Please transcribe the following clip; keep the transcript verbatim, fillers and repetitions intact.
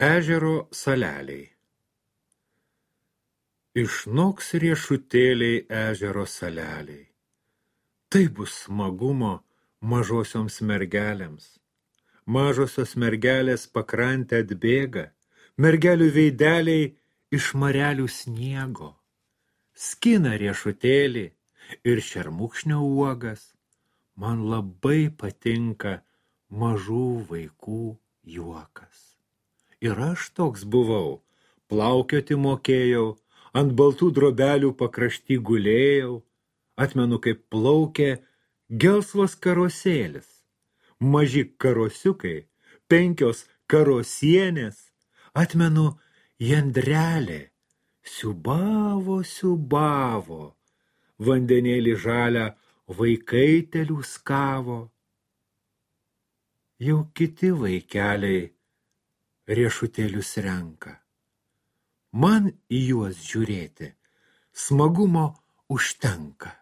Ežero saleliai. Išnoks riešutėliai ežero saleliai. Tai bus smagumo mažosioms mergelėms. Mažosios mergelės pakrantę atbėga, mergelių veideliai iš marelių sniego. Skina riešutėlį ir šermukšnio uogas. Man labai patinka mažų vaikų juokas. Ir aš toks buvau, plaukioti mokėjau, ant baltų drobelių pakrašty gulėjau, atmenu, kaip plaukė gelsvas karosėlis, maži karosiukai, penkios karosienės, atmenu, jandrelė, siubavo, siubavo, vandenėlį žalią vaikai teliuskavo. Jau kiti vaikeliai riešutėlius renka. Man į juos žiūrėti smagumo užtenka.